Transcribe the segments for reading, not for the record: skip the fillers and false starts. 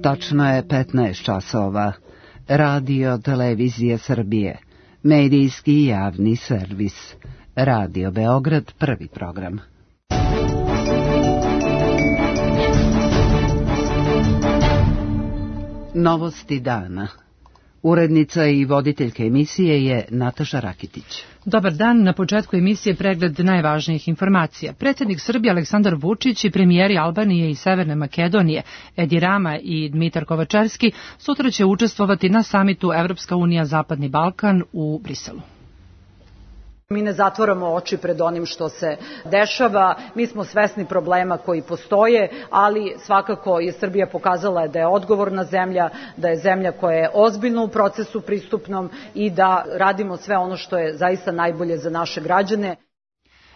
Tačno je 15 časova. Radio Televizije Srbije. Medijski javni servis. Radio Beograd, prvi program. Novosti dana. Urednica i voditeljka emisije je Nataša Rakitić. Dobar dan, na početku emisije pregled najvažnijih informacija. Predsjednik Srbije Aleksandar Vučić i premijeri Albanije i Severne Makedonije Edi Rama i Dmitar Kovačevski sutra će učestvovati na samitu Evropska unija Zapadni Balkan u Briselu. Mi ne zatvaramo oči pred onim što se dešava, mi smo svesni problema koji postoje, ali svakako je Srbija pokazala da je odgovorna zemlja, da je zemlja koja je ozbiljna u procesu pristupnom i da radimo sve ono što je zaista najbolje za naše građane.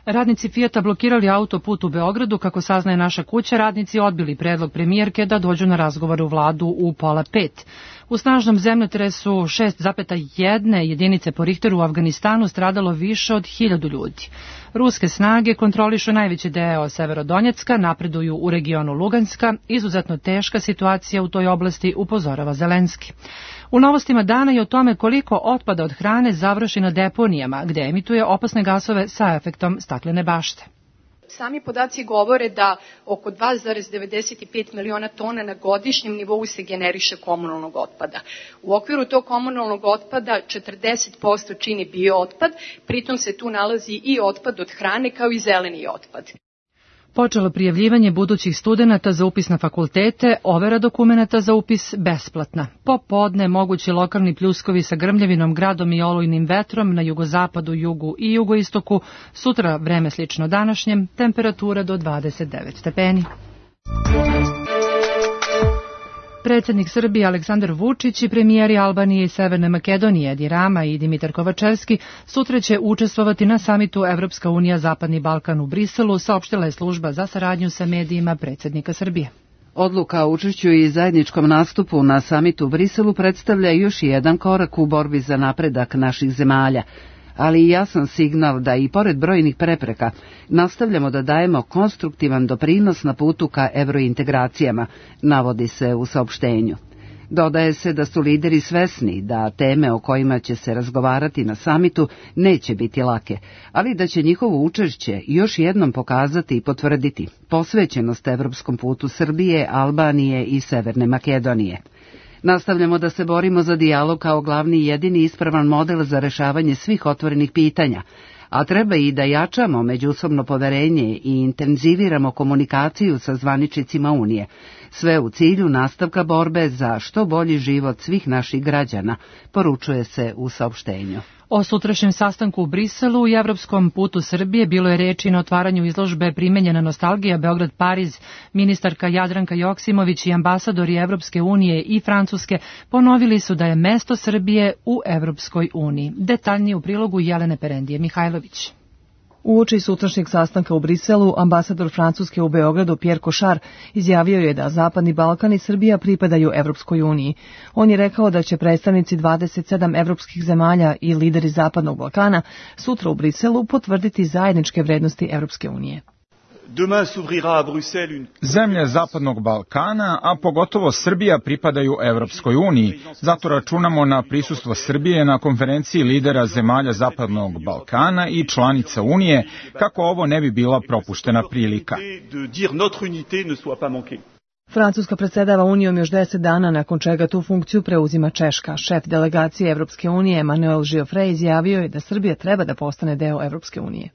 Radnici Fijata blokirali autoput u Beogradu, kako saznaje Naša kuća, radnici odbili predlog premijerke da dođu na razgovor u vladu u 4:30. U snažnom zemljotresu 6,1 jedinice po Richteru u Afganistanu stradalo više od 1000 ljudi. Ruske snage kontrolišu najveći deo Severodonjecka, napreduju u regionu Luganska, izuzetno teška situacija u toj oblasti, upozorava Zelenski. U novostima dana je o tome koliko otpada od hrane završi na deponijama, gde emituje opasne gasove sa efektom staklene bašte. Sami podaci govore da oko 2,95 miliona tona na godišnjem nivou se generiše komunalnog otpada. U okviru tog komunalnog otpada 40% čini biootpad, pritom se tu nalazi i otpad od hrane kao i zeleni otpad. Počelo prijavljivanje budućih studenata za upis na fakultete, overa dokumenata za upis besplatna. Popodne mogući lokalni pljuskovi sa grmljavinom, gradom i olujnim vetrom na jugozapadu, jugu i jugoistoku, sutra vreme slično današnjem, temperatura do 29 stepeni. Predsjednik Srbije Aleksandar Vučić i premijeri Albanije i Severne Makedonije Edi Rama i Dmitar Kovačevski sutra će učestvovati na samitu Evropska unija Zapadni Balkan u Briselu, saopštila je služba za saradnju sa medijima predsjednika Srbije. Odluka o učešću i zajedničkom nastupu na samitu u Briselu predstavlja još jedan korak u borbi za napredak naših zemalja, ali i jasan signal da i pored brojnih prepreka nastavljamo da dajemo konstruktivan doprinos na putu ka evrointegracijama, navodi se u saopštenju. Dodaje se da su lideri svesni da teme o kojima će se razgovarati na samitu neće biti lake, ali da će njihovo učešće još jednom pokazati i potvrditi posvećenost evropskom putu Srbije, Albanije i Severne Makedonije. Nastavljamo da se borimo za dijalog kao glavni i jedini ispravan model za rešavanje svih otvorenih pitanja, a treba i da jačamo međusobno poverenje i intenziviramo komunikaciju sa zvaničnicima Unije, sve u cilju nastavka borbe za što bolji život svih naših građana, poručuje se u saopštenju. O sutrašnjem sastanku u Briselu i evropskom putu Srbije bilo je reči na otvaranju izložbe Primenjena nostalgija Beograd-Pariz. Ministarka Jadranka Joksimović i ambasadori Evropske unije i Francuske ponovili su da je mesto Srbije u Evropskoj uniji. Detaljnije u prilogu Jelene Perendije Mihajlović. Uoči sutrašnjeg sastanka u Briselu, ambasador Francuske u Beogradu Pierre Cochard izjavio je da Zapadni Balkan i Srbija pripadaju Evropskoj uniji. On je rekao da će predstavnici 27 evropskih zemalja i lideri Zapadnog Balkana sutra u Briselu potvrditi zajedničke vrednosti Evropske unije. Zemlje Zapadnog Balkana, a pogotovo Srbija, pripadaju Evropskoj uniji. Zato računamo na prisustvo Srbije na konferenciji lidera zemalja Zapadnog Balkana i članica Unije, kako ovo ne bi bila propuštena prilika. Francuska predsjedava Unijom još 10 dana, nakon čega tu funkciju preuzima Češka. Šef delegacije Evropske unije Manuel Giofrey izjavio je da Srbija treba da postane deo Evropske unije.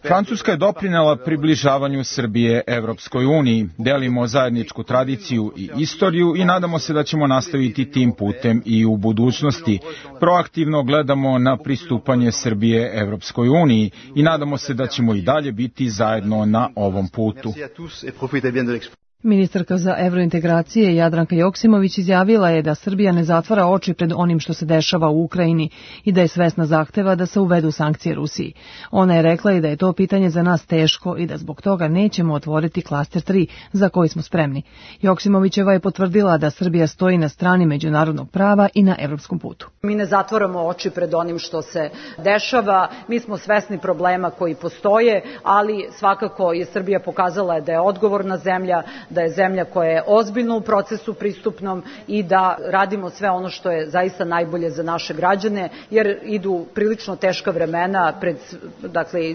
Francuska je doprinela približavanju Srbije Evropskoj uniji. Delimo zajedničku tradiciju i istoriju i nadamo se da ćemo nastaviti tim putem i u budućnosti. Proaktivno gledamo na pristupanje Srbije Evropskoj uniji i nadamo se da ćemo i dalje biti zajedno na ovom putu. Ministarka za evrointegracije Jadranka Joksimović izjavila je da Srbija ne zatvara oči pred onim što se dešava u Ukrajini i da je svesna zahteva da se uvedu sankcije Rusiji. Ona je rekla i da je to pitanje za nas teško i da zbog toga nećemo otvoriti klaster 3 za koji smo spremni. Joksimovićeva je potvrdila da Srbija stoji na strani međunarodnog prava i na evropskom putu. Mi ne zatvaramo oči pred onim što se dešava, mi smo svesni problema koji postoje, ali svakako je Srbija pokazala da je odgovorna zemlja, da je zemlja koja je ozbiljno u procesu pristupnom i da radimo sve ono što je zaista najbolje za naše građane, jer idu prilično teška vremena,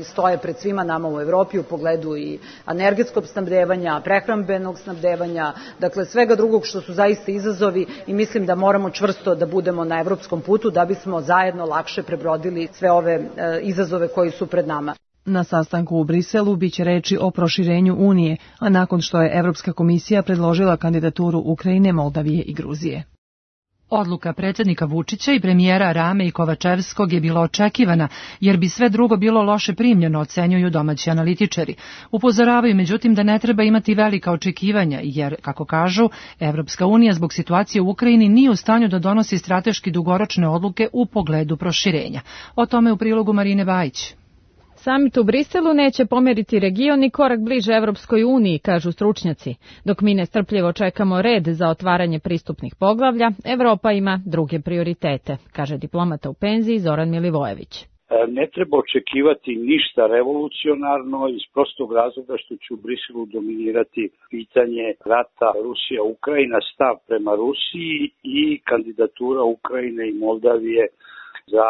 stoje pred svima nama u Evropi u pogledu i energetskog snabdevanja, prehrambenog snabdevanja, dakle svega drugog što su zaista izazovi i mislim da moramo čvrsto da budemo na evropskom putu da bismo zajedno lakše prebrodili sve ove izazove koji su pred nama. Na sastanku u Briselu biće reči o proširenju Unije, a nakon što je Evropska komisija predložila kandidaturu Ukrajine, Moldavije i Gruzije. Odluka predsjednika Vučića i premijera Rame i Kovačevskog je bila očekivana, jer bi sve drugo bilo loše primljeno, ocenjuju domaći analitičari. Upozoravaju međutim da ne treba imati velika očekivanja, jer, kako kažu, Evropska unija zbog situacije u Ukrajini nije u stanju da donosi strateški dugoročne odluke u pogledu proširenja. O tome u prilogu Marine Bajić. Samit u Briselu neće pomeriti region i korak bliže Evropskoj uniji, kažu stručnjaci. Dok mi nestrpljivo čekamo red za otvaranje pristupnih poglavlja, Evropa ima druge prioritete, kaže diplomata u penziji Zoran Milivojević. Ne treba očekivati ništa revolucionarno iz prostog razloga što će u Briselu dominirati pitanje rata Rusija-Ukrajina, stav prema Rusiji i kandidatura Ukrajine i Moldavije za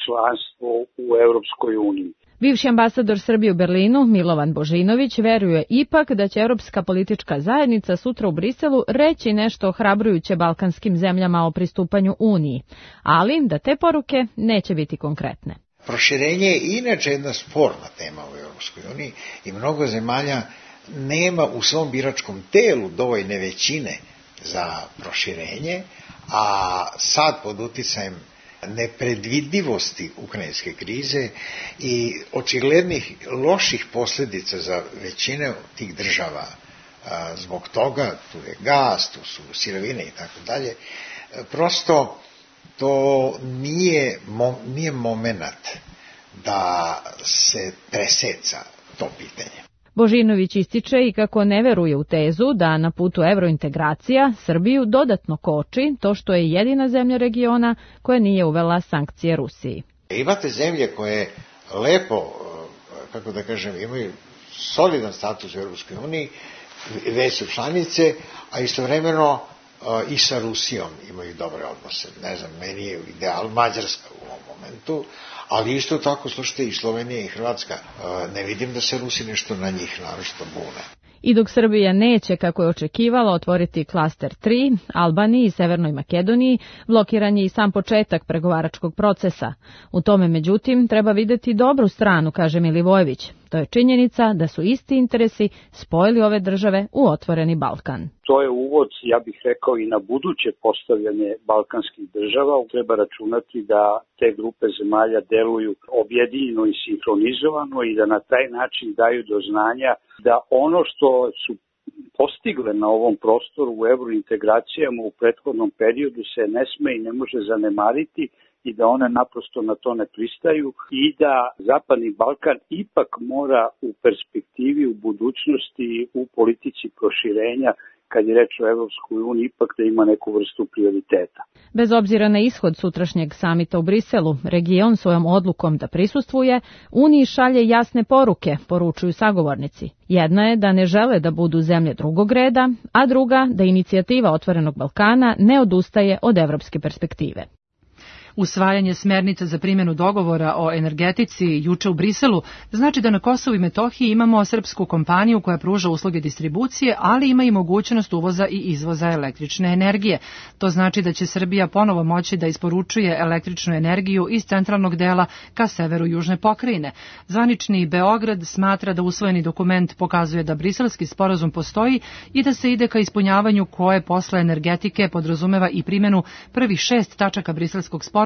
članstvo u Evropskoj uniji. Bivši ambasador Srbije u Berlinu, Milovan Božinović, veruje ipak da će Evropska politička zajednica sutra u Briselu reći nešto ohrabrujuće balkanskim zemljama o pristupanju Uniji, ali da te poruke neće biti konkretne. Proširenje je inače jedna sporna tema u Evropskoj uniji i mnogo zemalja nema u svom biračkom telu dovoljne većine za proširenje, a sad pod uticajem nepredvidivosti ukrajinske krize i očiglednih loših posljedica za većine tih država zbog toga, tu je gas, tu su sirovine i tako dalje, prosto to nije momenat da se preseca to pitanje. Božinović ističe i kako ne veruje u tezu da na putu evrointegracija Srbiju dodatno koči to što je jedina zemlja regiona koja nije uvela sankcije Rusiji. Imate zemlje koje lepo, kako da kažem, imaju solidan status u Europskoj uniji, već su članice, a istovremeno i sa Rusijom imaju dobre odnose. Ne znam, meni je ideal Mađarska u ovom momentu, ali isto tako, slušajte, i Slovenija i Hrvatska. Ne vidim da se Rusi nešto na njih naročito bune. I dok Srbija neće, kako je očekivala, otvoriti klaster 3, Albaniji i Severnoj Makedoniji, blokiran je i sam početak pregovaračkog procesa. U tome, međutim, treba vidjeti dobru stranu, kaže Milivojević. To je činjenica da su isti interesi spojili ove države u otvoreni Balkan. To je uvod, ja bih rekao, i na buduće postavljanje balkanskih država. Treba računati da te grupe zemalja deluju objedinjeno i sinhronizovano i da na taj način daju do znanja da ono što su postigle na ovom prostoru u eurointegracijama u prethodnom periodu se ne sme i ne može zanemariti i da one naprosto na to ne pristaju i da Zapadni Balkan ipak mora u perspektivi, u budućnosti, u politici proširenja, kad je reč o Evropskoj uniji, ipak da ima neku vrstu prioriteta. Bez obzira na ishod sutrašnjeg samita u Briselu, region svojom odlukom da prisustvuje Uniji šalje jasne poruke, poručuju sagovornici. Jedna je da ne žele da budu zemlje drugog reda, a druga da inicijativa Otvorenog Balkana ne odustaje od evropske perspektive. Usvajanje smernica za primjenu dogovora o energetici juče u Briselu znači da na Kosovu i Metohiji imamo srpsku kompaniju koja pruža usluge distribucije, ali ima i mogućnost uvoza i izvoza električne energije. To znači da će Srbija ponovo moći da isporučuje električnu energiju iz centralnog dela ka severu južne pokrajine. Zvanični Beograd smatra da usvojeni dokument pokazuje da briselski sporazum postoji i da se ide ka ispunjavanju koje posle energetike podrazumeva i primjenu prvih 6 tačaka briselskog sporazuma,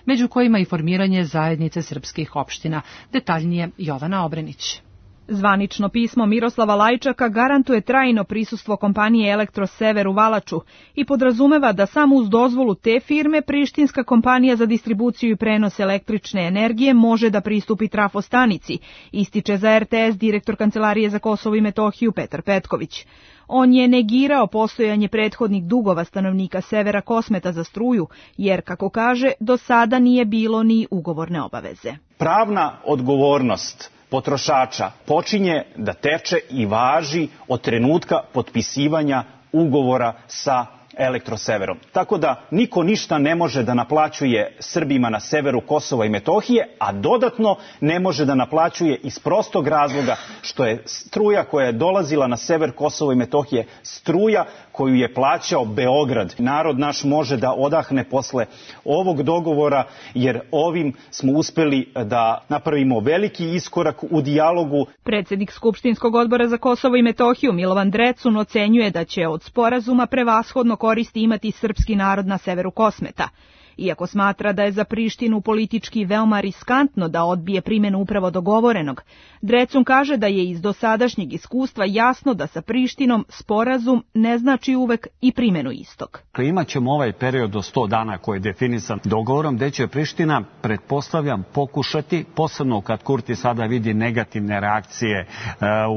među kojima i formiranje zajednice srpskih opština. Detaljnije Jovana Obrenić. Zvanično pismo Miroslava Lajčaka garantuje trajno prisustvo kompanije Elektrosever u Valaču i podrazumeva da samo uz dozvolu te firme prištinska kompanija za distribuciju i prenos električne energije može da pristupi trafostanici, ističe za RTS direktor Kancelarije za Kosovo i Metohiju Petar Petković. On je negirao postojanje prethodnih dugova stanovnika Severa Kosmeta za struju, jer, kako kaže, do sada nije bilo ni ugovorne obaveze. Pravna odgovornost potrošača počinje da teče i važi od trenutka potpisivanja ugovora sa Elektroseverom. Tako da niko ništa ne može da naplaćuje Srbima na severu Kosova i Metohije, a dodatno ne može da naplaćuje iz prostog razloga što je struja koja je dolazila na sever Kosova i Metohije struja koju je plaćao Beograd. Narod naš može da odahne posle ovog dogovora, jer ovim smo uspeli da napravimo veliki iskorak u dijalogu. Predsednik Skupštinskog odbora za Kosovo i Metohiju Milovan Drecun ocenjuje da će od sporazuma prevashodno koristi imati srpski narod na severu Kosmeta. Iako smatra da je za Prištinu politički veoma riskantno da odbije primjenu upravo dogovorenog, Drecun kaže da je iz dosadašnjeg iskustva jasno da sa Prištinom sporazum ne znači uvek i primjenu istog. Imaćemo ovaj period od 100 dana koji je definisan dogovorom, gde će Priština, pretpostavljam, pokušati, posebno kad Kurti sada vidi negativne reakcije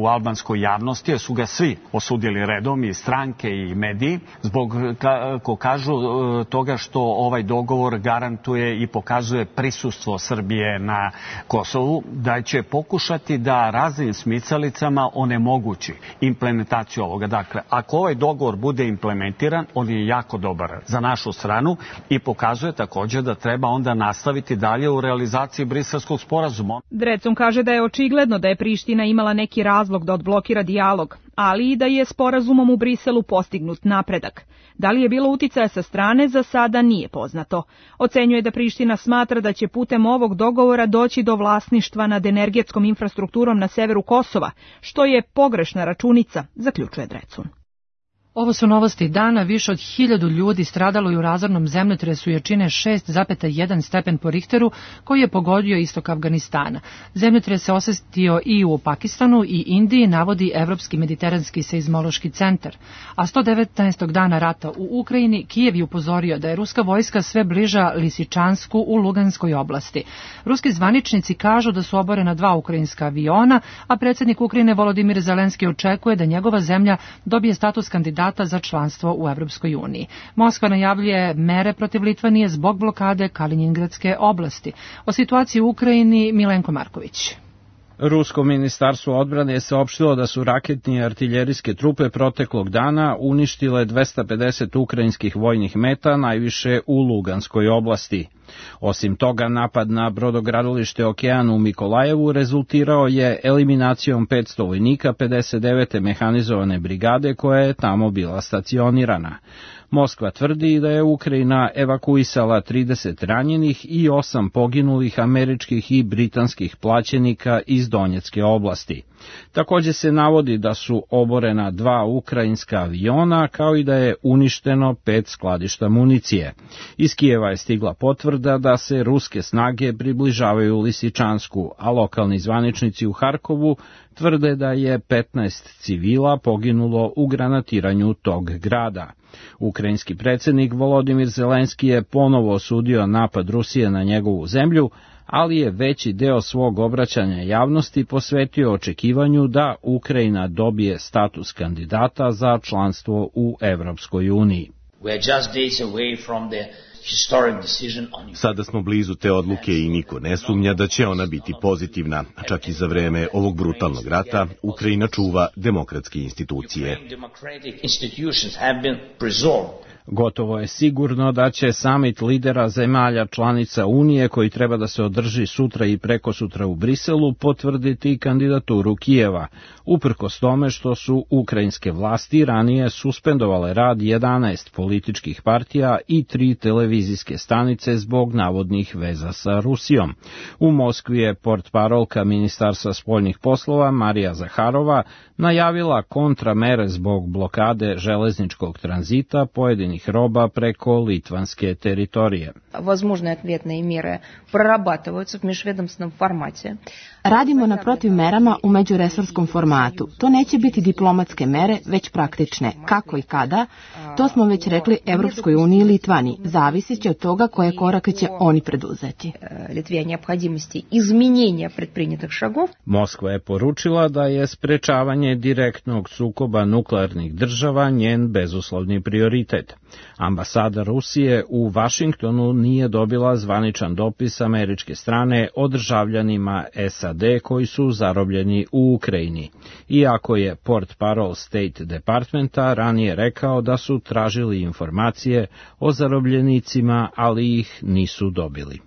u albanskoj javnosti, jer su ga svi osudili redom, i stranke i mediji, zbog, kako kažu, toga što ovaj dogovor garantuje i pokazuje prisustvo Srbije na Kosovu, da će pokušati da raznim smicalicama onemogući implementaciju ovoga. Dakle, ako ovaj dogovor bude implementiran, on je jako dobar za našu stranu i pokazuje također da treba onda nastaviti dalje u realizaciji Briselskog sporazuma. Drecun kaže da je očigledno da je Priština imala neki razlog da odblokira dijalog, ali i da je sporazumom u Briselu postignut napredak. Da li je bilo uticaja sa strane, za sada nije poznato. Ocenjuje da Priština smatra da će putem ovog dogovora doći do vlasništva nad energetskom infrastrukturom na severu Kosova, što je pogrešna računica, zaključuje Drecun. Ovo su novosti dana. Više od 1000 ljudi stradalo je u razornom zemljotresu jačine 6,1 stepen po Richteru koji je pogodio istok Afganistana. Zemljotres se osjetio i u Pakistanu i Indiji, navodi Evropski mediteranski seizmološki centar. A 119. dana rata u Ukrajini, Kijev je upozorio da je ruska vojska sve bliža Lisičansku u Luganskoj oblasti. Ruski zvaničnici kažu da su oborena 2 ukrajinska aviona, a predsjednik Ukrajine Volodimir Zelenski očekuje da njegova zemlja dobije status kandidata za članstvo u Evropskoj uniji. Moskva najavljuje mere protiv Litvanije zbog blokade Kalinjingradske oblasti. O situaciji u Ukrajini Milenko Marković. Rusko ministarstvo odbrane je saopštilo da su raketne i artiljerijske trupe proteklog dana uništile 250 ukrajinskih vojnih meta, najviše u Luganskoj oblasti. Osim toga, napad na brodogradilište Okean u Mikolajevu rezultirao je eliminacijom 500 vojnika 59. mehanizovane brigade koja je tamo bila stacionirana. Moskva tvrdi da je Ukrajina evakuisala 30 ranjenih i 8 poginulih američkih i britanskih plaćenika iz Donjecke oblasti. Također se navodi da su oborena 2 ukrajinska aviona, kao i da je uništeno 5 skladišta municije. Iz Kijeva je stigla potvrda da se ruske snage približavaju Lisičansku, a lokalni zvaničnici u Harkovu tvrde da je 15 civila poginulo u granatiranju tog grada. Ukrajinski predsjednik Volodimir Zelenski je ponovo osudio napad Rusije na njegovu zemlju, ali je veći deo svog obraćanja javnosti posvetio očekivanju da Ukrajina dobije status kandidata za članstvo u Evropskoj uniji. Sada smo blizu te odluke i niko ne sumnja da će ona biti pozitivna. Čak i za vreme ovog brutalnog rata Ukrajina čuva demokratske institucije. Gotovo je sigurno da će samit lidera zemalja članica Unije, koji treba da se održi sutra i prekosutra u Briselu, potvrditi kandidaturu Kijeva, uprkos tome što su ukrajinske vlasti ranije suspendovale rad 11 političkih partija i 3 televizijske stanice zbog navodnih veza sa Rusijom. U Moskvi je portparolka Ministarstva spoljnih poslova Marija Zaharova najavila kontramere zbog blokade železničkog tranzita pojedinih roba preko litvanske teritorije. Возможные ответные меры прорабатываются в межведомственном формате. Radimo na protivmerama u međuresorskom formatu. To neće biti diplomatske mere, već praktične. Kako i kada? To smo već rekli Evropskoj uniji i Litvaniji. Zavisit će od toga koje korake će oni preduzeti. Литве необходимости изменения предпринятых шагов. Moskva je poručila da je sprečavanje direktnog sukoba nuklearnih država njen bezuslovni prioritet. Ambasada Rusije u Vašingtonu nije dobila zvaničan dopis američke strane o državljanima SAD koji su zarobljeni u Ukrajini, iako je portparol State Departmenta ranije rekao da su tražili informacije o zarobljenicima, ali ih nisu dobili.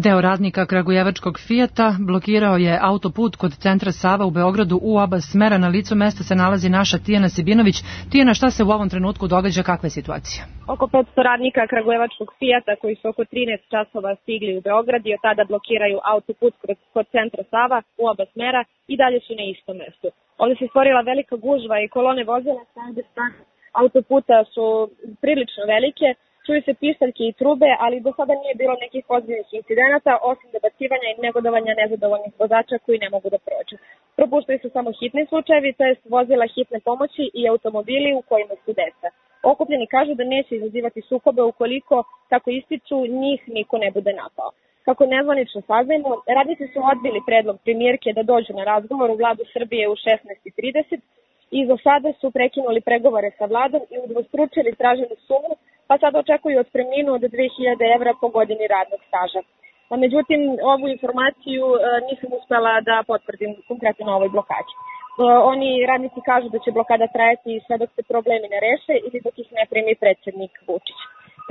Deo radnika kragujevačkog Fijata blokirao je autoput kod centra Sava u Beogradu u oba smera. Na licu mesta se nalazi naša Tijana Sibinović. Tijana, šta se u ovom trenutku događa, kakva je situacija? Oko 500 radnika kragujevačkog Fijata koji su oko 13 časova stigli u Beograd i od tada blokiraju autoput kod centra Sava u oba smera i dalje su na istom mestu. Ovdje se stvorila velika gužva i kolone vozila sa obje strane autoputa su prilično velike. Čuju se pištaljke i trube, ali do sada nije bilo nekih ozbiljnih incidenata, osim dobacivanja i negodovanja nezadovoljnih vozača koji ne mogu da prođu. Propuštaju se samo hitni slučajevi, to jest vozila hitne pomoći i automobili u kojima su deca. Okupljeni kažu da neće izazivati sukobe ukoliko, kako ističu, njih niko ne bude napao. Kako nezvanično saznajemo, radnici su odbili predlog premijerke da dođu na razgovor u vladu Srbije u 16:30 i za sada su prekinuli pregovore sa vladom i udvostručili traženu sumu, pa sada očekuju otpremninu od 2000 evra po godini radnog staža. Međutim, ovu informaciju nisam uspela da potvrdim konkretno na ovoj blokadi. Oni radnici kažu da će blokada trajati sve dok se problemi ne reše ili dok ih ne primi predsjednik Vučić.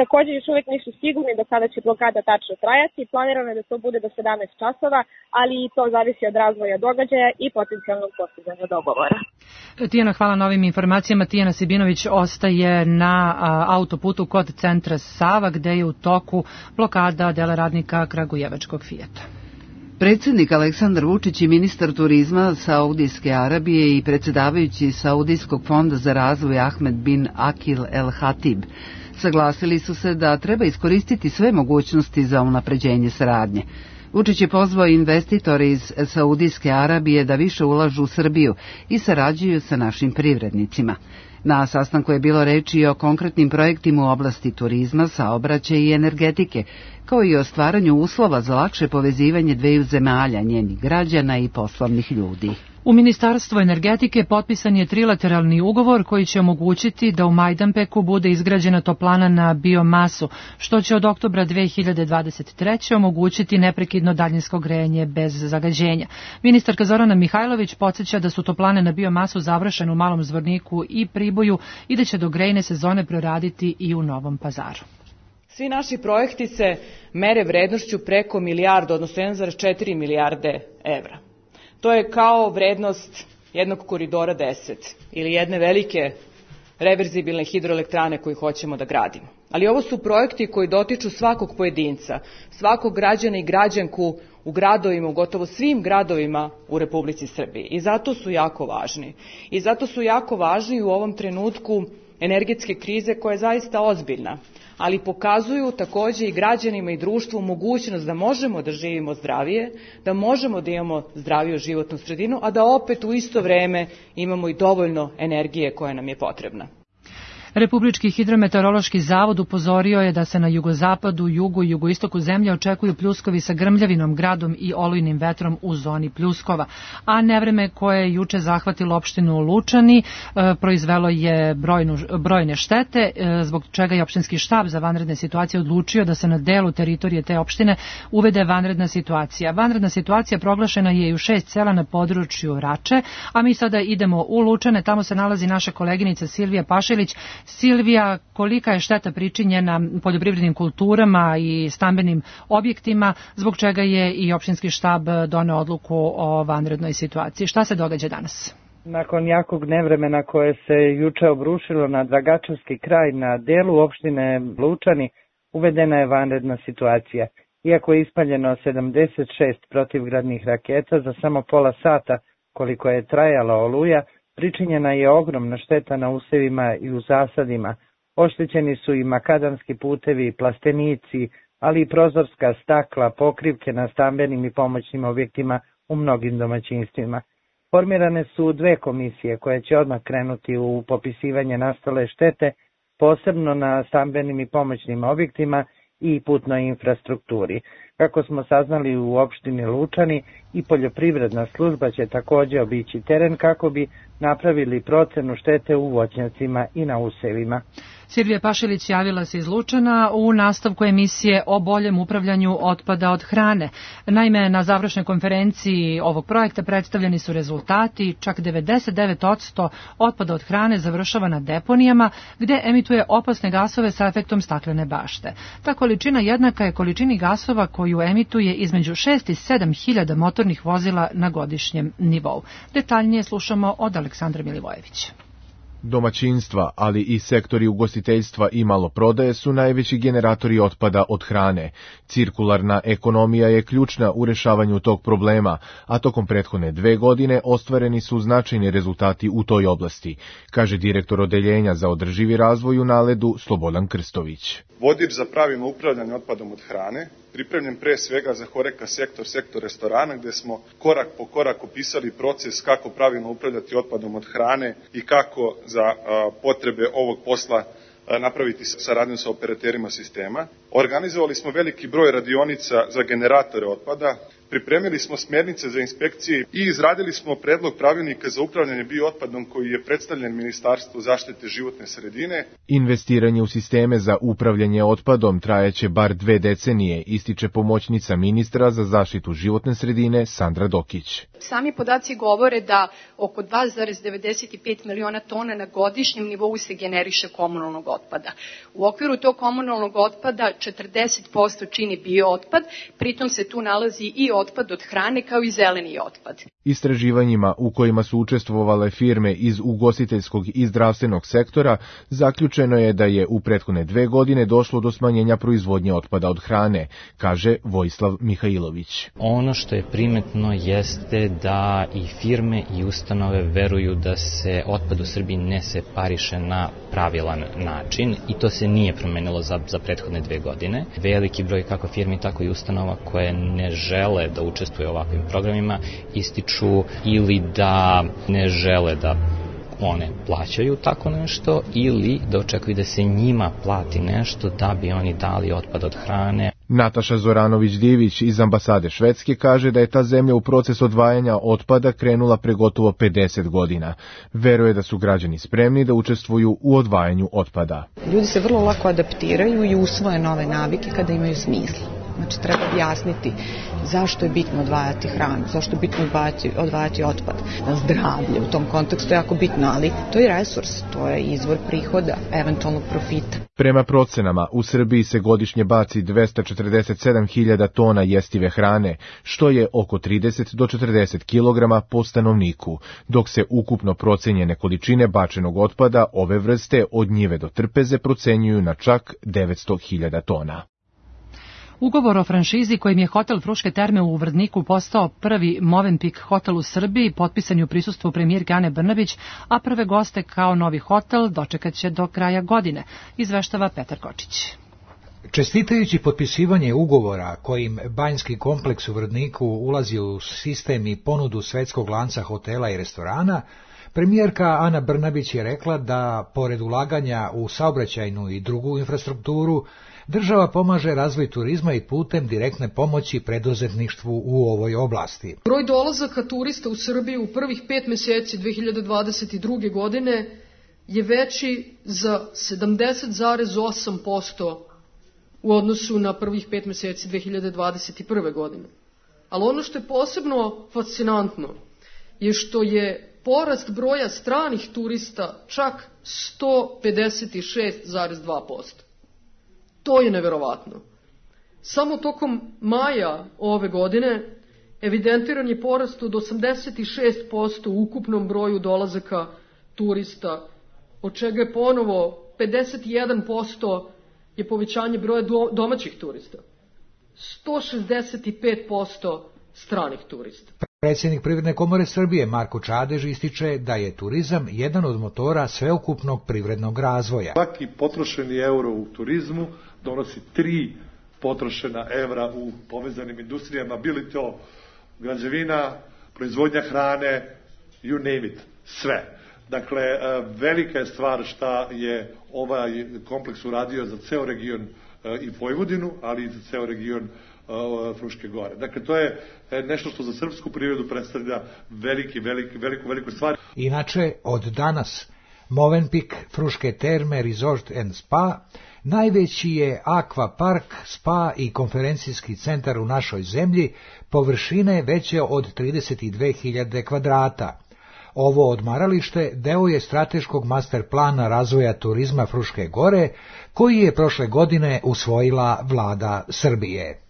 Također još uvijek nisu sigurni do kada će blokada tačno trajati. Planirano je da to bude do 17 časova, ali i to zavisi od razvoja događaja i potencijalnog postizanja dogovora. Tijana, hvala na ovim informacijama. Tijana Sibinović ostaje na autoputu kod centra Sava, gde je u toku blokada dela radnika kragujevačkog Fijata. Predsjednik Aleksandar Vučić i ministar turizma Saudijske Arabije i predsjedavajući Saudijskog fonda za razvoj Ahmed bin Akil El Hatib saglasili su se da treba iskoristiti sve mogućnosti za unapređenje saradnje. Vučić je pozvao investitore iz Saudijske Arabije da više ulažu u Srbiju i sarađuju sa našim privrednicima. Na sastanku je bilo reči o konkretnim projektima u oblasti turizma, saobraćaja i energetike, kao i o stvaranju uslova za lakše povezivanje dveju zemalja, njenih građana i poslovnih ljudi. U Ministarstvu energetike potpisan je trilateralni ugovor koji će omogućiti da u Majdanpeku bude izgrađena toplana na biomasu, što će od oktobra 2023. omogućiti neprekidno daljinsko grejanje bez zagađenja. Ministarka Zorana Mihajlović podsjeća da su toplane na biomasu završene u Malom Zvorniku i Priboju i da će do grejne sezone proraditi i u Novom Pazaru. Svi naši projekti se mere vrednošću preko milijardu, odnosno 1,4 milijarde evra. To je kao vrednost jednog koridora 10 ili jedne velike reverzibilne hidroelektrane koju hoćemo da gradimo. Ali ovo su projekti koji dotiču svakog pojedinca, svakog građana i građanku u gradovima, u gotovo svim gradovima u Republici Srbiji. I zato su jako važni. I zato su jako važni u ovom trenutku energetske krize koja je zaista ozbiljna, ali pokazuju također i građanima i društvu mogućnost da možemo da živimo zdravije, da možemo da imamo zdraviju životnu sredinu, a da opet u isto vreme imamo i dovoljno energije koja nam je potrebna. Republički hidrometeorološki zavod upozorio je da se na jugozapadu, jugu i jugoistoku zemlje očekuju pljuskovi sa grmljavinom, gradom i olujnim vetrom u zoni pljuskova. A nevreme koje je juče zahvatilo opštinu Lučani proizvelo je brojne štete, zbog čega je opštinski štab za vanredne situacije odlučio da se na delu teritorije te opštine uvede vanredna situacija. Vanredna situacija proglašena je i u 6 sela na području Rače, a mi sada idemo u Lučane, tamo se nalazi naša koleginica Silvija Pašilić. Silvija, kolika je šteta pričinjena poljoprivrednim kulturama i stambenim objektima, zbog čega je i opštinski štab doneo odluku o vanrednoj situaciji? Šta se događa danas? Nakon jakog nevremena koje se juče obrušilo na Dragačevski kraj na delu opštine Lučani, uvedena je vanredna situacija. Iako je ispaljeno 76 protivgradnih raketa za samo pola sata koliko je trajala oluja, pričinjena je ogromna šteta na usevima i u zasadima. Oštećeni su i makadamski putevi, plastenici, ali i prozorska stakla, pokrivke na stambenim i pomoćnim objektima u mnogim domaćinstvima. Formirane su 2 komisije koje će odmah krenuti u popisivanje nastale štete, posebno na stambenim i pomoćnim objektima i putnoj infrastrukturi. Kako smo saznali u opštini Lučani, i poljoprivredna služba će takođe obići teren kako bi napravili procenu štete u voćnjacima i na usevima. Silvija Pašilić javila se iz Lučana u nastavku emisije o boljem upravljanju otpada od hrane. Naime, na završnoj konferenciji ovog projekta predstavljeni su rezultati, čak 99% otpada od hrane završava na deponijama gde emituje opasne gasove sa efektom staklene bašte. Ta količina jednaka je količini gasova koju emituje između 6 i 7 hiljada motornih vozila na godišnjem nivou. Detaljnije slušamo od Aleksandra Milivojevića. Domaćinstva, ali i sektori ugostiteljstva i maloprodaje su najveći generatori otpada od hrane. Cirkularna ekonomija je ključna u rešavanju tog problema, a tokom prethodne 2 godine ostvareni su značajni rezultati u toj oblasti, kaže direktor Odeljenja za održivi razvoj u Naledu Slobodan Krstović. Vodič za pravilno upravljanje otpadom od hrane, pripremljen pre svega za HoReCa sektor restorana, gde smo korak po korak opisali proces kako pravilno upravljati otpadom od hrane i kako za potrebe ovog posla napraviti saradnju sa operaterima sistema. Organizovali smo veliki broj radionica za generatore otpada, pripremili smo smernice za inspekcije i izradili smo predlog pravilnika za upravljanje biootpadom koji je predstavljen Ministarstvu zaštite životne sredine. Investiranje u sisteme za upravljanje otpadom trajaće bar 2 decenije, ističe pomoćnica ministra za zaštitu životne sredine Sandra Dokić. Sami podaci govore da oko 2,95 miliona tona na godišnjem nivou se generiše komunalnog otpada. U okviru tog komunalnog otpada 40% čini biootpad, pritom se tu nalazi i otpad od hrane kao i zeleni otpad. Istraživanjima u kojima su učestvovale firme iz ugostiteljskog i zdravstvenog sektora, zaključeno je da je u prethodne 2 godine došlo do smanjenja proizvodnje otpada od hrane, kaže Vojislav Mihajlović. Ono što je primetno jeste da i firme i ustanove veruju da se otpad u Srbiji ne separiše na pravilan način i to se nije promenilo za prethodne 2 godine. Veliki broj kako firmi, tako i ustanova koje ne žele da učestvuju u ovakvim programima ističu ili da ne žele da one plaćaju tako nešto ili da očekuju da se njima plati nešto da bi oni dali otpad od hrane. Nataša Zoranović-Divić iz ambasade Švedske kaže da je ta zemlja u proces odvajanja otpada krenula pre gotovo 50 godina. Veruje da su građani spremni da učestvuju u odvajanju otpada. Ljudi se vrlo lako adaptiraju i usvoje nove navike kada imaju smisla. Znači, treba objasniti zašto je bitno odvajati hranu, zašto je bitno odvajati otpad. Zdravlje u tom kontekstu je jako bitno, ali to je resurs, to je izvor prihoda, eventualnog profita. Prema procenama, u Srbiji se godišnje baci 247.000 tona jestive hrane, što je oko 30 do 40 kg po stanovniku, dok se ukupno procenjene količine bačenog otpada ove vrste od njive do trpeze procenjuju na čak 900.000 tona. Ugovor o franšizi kojim je hotel Fruške terme u Vrdniku postao prvi Movenpick hotel u Srbiji potpisan je u prisustvu premijerke Ane Brnabić, a prve goste kao novi hotel dočekaće do kraja godine, izveštava Petar Kočić. Čestitajući potpisivanje ugovora kojim banjski kompleks u Vrdniku ulazi u sistem i ponudu svetskog lanca hotela i restorana, premijerka Ana Brnabić je rekla da, pored ulaganja u saobraćajnu i drugu infrastrukturu, država pomaže razvoj turizma i putem direktne pomoći preduzetništvu u ovoj oblasti. Broj dolazaka turista u Srbiji u prvih 5 meseci 2022. godine je veći za 70,8% u odnosu na prvih 5 meseci 2021. godine. Ali ono što je posebno fascinantno je što je porast broja stranih turista čak 156,2%. To je neverovatno. Samo tokom maja ove godine evidentiran je porast od 86% u ukupnom broju dolazaka turista, od čega je ponovo 51% je povećanje broja domaćih turista, 165% stranih turista. Predsjednik Privredne komore Srbije Marko Čadež ističe da je turizam jedan od motora sveukupnog privrednog razvoja. Svaki potrošeni euro u turizmu donosi 3 potrošena evra u povezanim industrijama, bili to građevina, proizvodnja hrane, you name it, sve. Dakle, velika je stvar šta je ovaj kompleks uradio za ceo region i Vojvodinu, ali i za ceo region Fruške gore. Dakle, to je nešto što za srpsku privredu predstavlja veliku stvar. Inače, od danas Movenpik, Fruške terme, Resort and Spa, najveći je akvapark, spa i konferencijski centar u našoj zemlji, površine veće od 32.000 kvadrata. Ovo odmaralište deo je strateškog master plana razvoja turizma Fruške gore, koji je prošle godine usvojila vlada Srbije.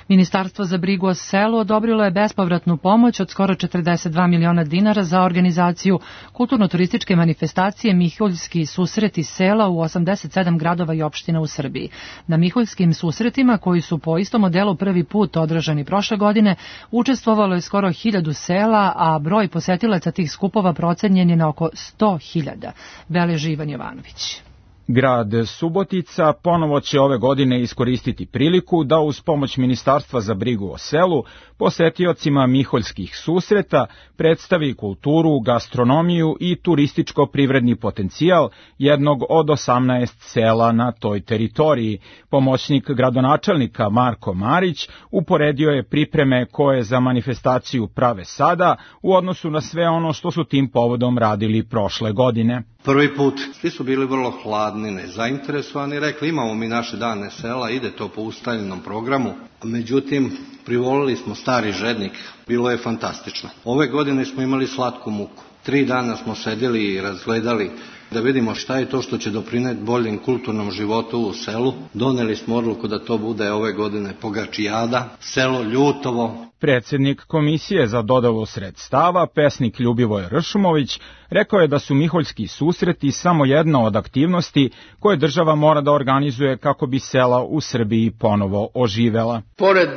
Ministarstvo za brigu o selu odobrilo je bespovratnu pomoć od skoro 42 miliona dinara za organizaciju kulturno-turističke manifestacije Miholjski susreti sela u 87 gradova i opština u Srbiji. Na Miholjskim susretima, koji su po istom modelu prvi put održani prošle godine, učestvovalo je skoro 1000 sela, a broj posetilaca tih skupova procenjen je na oko 100.000. Beleži Ivan Jovanović. Grad Subotica ponovo će ove godine iskoristiti priliku da uz pomoć Ministarstva za brigu o selu posetiocima Miholjskih susreta predstavi kulturu, gastronomiju i turističko-privredni potencijal jednog od 18 sela na toj teritoriji. Pomoćnik gradonačelnika Marko Marić uporedio je pripreme koje za manifestaciju prave sada u odnosu na sve ono što su tim povodom radili prošle godine. Prvi put svi su bili vrlo hladni, nezainteresovani, rekli imamo mi naše dane sela, ide to po ustaljenom programu, međutim privolili smo Stari Žednik, bilo je fantastično. Ove godine smo imali slatku muku, 3 dana smo sedjeli i razgledali da vidimo šta je to što će doprineti boljem kulturnom životu u selu. Doneli smo odluku da to bude ove godine Pogačijada, selo Ljutovo. Predsjednik Komisije za dodelu sredstava, pesnik Ljubivoj Ršumović, rekao je da su Miholjski susreti samo jedna od aktivnosti koje država mora da organizuje kako bi sela u Srbiji ponovo oživela. Pored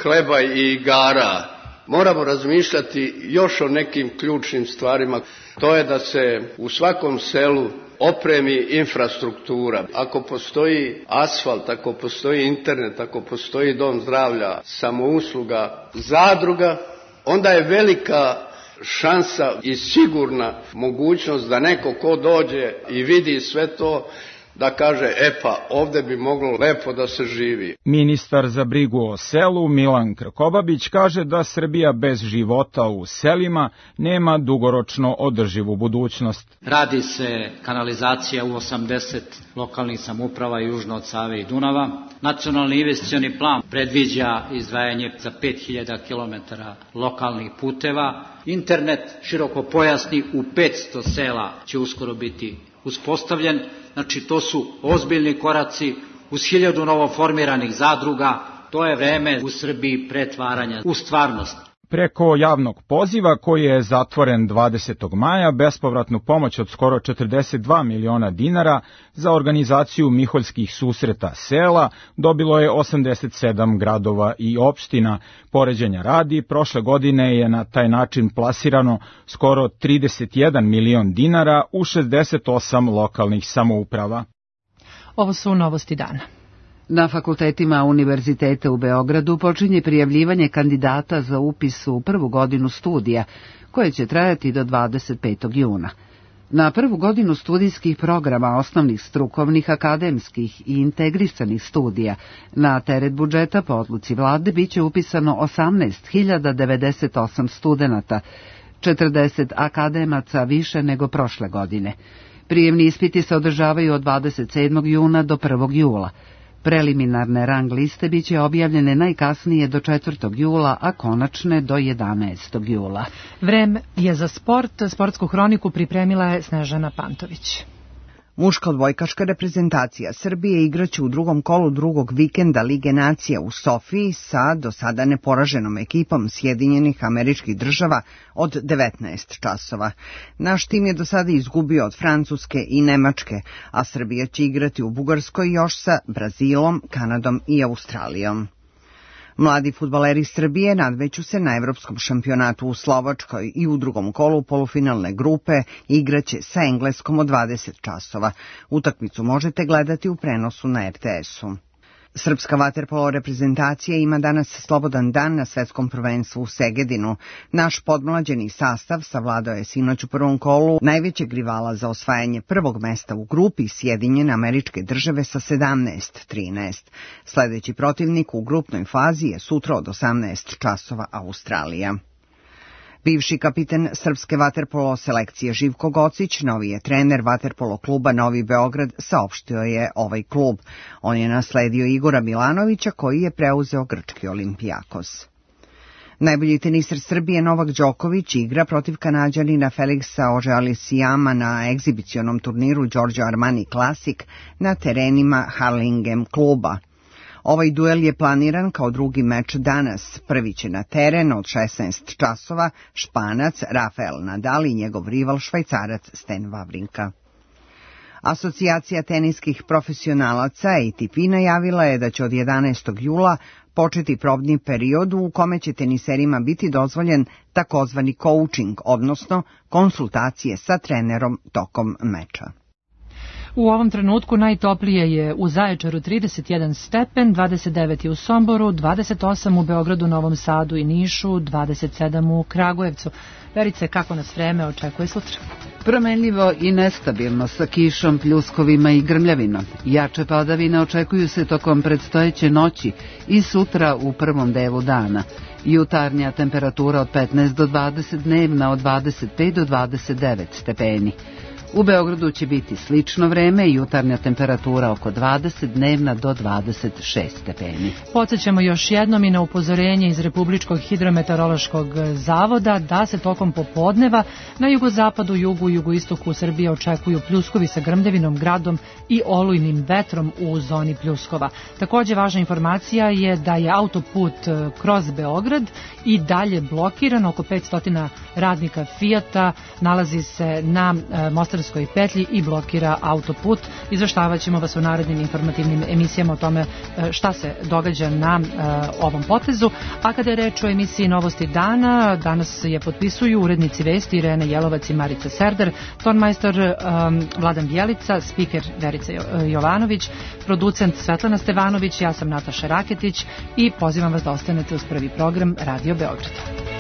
hleba i igara moramo razmišljati još o nekim ključnim stvarima. To je da se u svakom selu opremi infrastruktura. Ako postoji asfalt, ako postoji internet, ako postoji dom zdravlja, samousluga, zadruga, onda je velika šansa i sigurna mogućnost da neko ko dođe i vidi sve to, da kaže, ovdje bi moglo lepo da se živi. Ministar za brigu o selu Milan Krkobabić kaže da Srbija bez života u selima nema dugoročno održivu budućnost. Radi se kanalizacija u 80 lokalnih samouprava južno od Save i Dunava. Nacionalni investicioni plan predviđa izdvajanje za 5000 km lokalnih puteva. Internet širokopojasni u 500 sela će uskoro biti uspostavljen. Znači, to su ozbiljni koraci uz 1000 novoformiranih zadruga. To je vreme u Srbiji pretvaranja u stvarnost. Preko javnog poziva koji je zatvoren 20. maja, bespovratnu pomoć od skoro 42 miliona dinara za organizaciju Miholjskih susreta sela dobilo je 87 gradova i opština. Poređenja radi, prošle godine je na taj način plasirano skoro 31 milion dinara u 68 lokalnih samouprava. Ovo su novosti dana. Na fakultetima Univerziteta u Beogradu počinje prijavljivanje kandidata za upis u prvu godinu studija, koje će trajati do 25. juna. Na prvu godinu studijskih programa osnovnih strukovnih, akademskih i integrisanih studija na teret budžeta po odluci vlade biće upisano 18.098 studenata, 40 akademaca više nego prošle godine. Prijemni ispiti se održavaju od 27. juna do 1. jula. Preliminarne rang liste biće objavljene najkasnije do 4. jula, a konačne do 11. jula. Vreme je za sport. Sportsku hroniku pripremila je Snežana Pantović. Muška odbojkaška reprezentacija Srbije igraće u drugom kolu drugog vikenda Lige nacija u Sofiji sa do sada neporaženom ekipom Sjedinjenih Američkih Država od 19 časova. Naš tim je do sada izgubio od Francuske i Nemačke, a Srbija će igrati u Bugarskoj još sa Brazilom, Kanadom i Australijom. Mladi fudbaleri Srbije nadmeću se na evropskom šampionatu u Slovačkoj i u drugom kolu polufinalne grupe igraće sa Engleskom od 20 časova. Utakmicu možete gledati u prenosu na RTS-u. Srpska vaterpolo reprezentacija ima danas slobodan dan na svetskom prvenstvu u Segedinu. Naš podmlađeni sastav savladao je sinoć u prvom kolu najvećeg rivala za osvajanje prvog mesta u grupi Sjedinjene Američke Države sa 17-13. Sledeći protivnik u grupnoj fazi je sutra od 18 časova Australija. Bivši kapiten srpske vaterpolo selekcije Živko Gocić, novi je trener vaterpolo kluba Novi Beograd, saopštio je ovaj klub. On je nasledio Igora Milanovića koji je preuzeo grčki Olimpijakos. Najbolji teniser Srbije Novak Đoković igra protiv Kanađanina Feliksa Auger-Aliassime na egzibicionom turniru Giorgio Armani Classic na terenima Harlingen kluba. Ovaj duel je planiran kao drugi meč danas. Prvi će na teren od 16 časova Španac Rafael Nadal i njegov rival Švajcarac Stan Wawrinka. Asocijacija teniskih profesionalaca ATP najavila je da će od 11. jula početi probni period u kome će teniserima biti dozvoljen takozvani coaching, odnosno konsultacije sa trenerom tokom meča. U ovom trenutku najtoplije je u Zaječaru 31 stepen, 29 je u Somboru, 28 u Beogradu, Novom Sadu i Nišu, 27 u Kragujevcu. Verice, kako nas vreme očekuje sutra? Promenljivo i nestabilno sa kišom, pljuskovima i grmljavinom. Jače padavine očekuju se tokom predstojeće noći i sutra u prvom delu dana. Jutarnja temperatura od 15 do 20, dnevna od 25 do 29 stepeni. U Beogradu će biti slično vreme i jutarnja temperatura oko 20, dnevna do 26 stepeni. Podsjećamo još jednom i na upozorenje iz Republičkog hidrometeorološkog zavoda da se tokom popodneva na jugozapadu, jugu i jugoistoku Srbije očekuju pljuskovi sa grmljavinom, gradom i olujnim vetrom u zoni pljuskova. Također važna informacija je da je autoput kroz Beograd i dalje blokiran. Oko 500 radnika Fijata nalazi se na Mostarskoj petlji i blokira autoput. Izveštavaćemo ćemo vas u narednim informativnim emisijama o tome šta se događa na ovom potezu. A kada je reč o emisiji Novosti dana, danas je potpisuju urednici vesti Irena Jelovac i Marica Serdar, tonmajstor Vladan Bjelica, spiker Verica Jovanović, producent Svetlana Stevanović, ja sam Nataša Raketić i pozivam vas da ostanete uz prvi program Radio Beograda.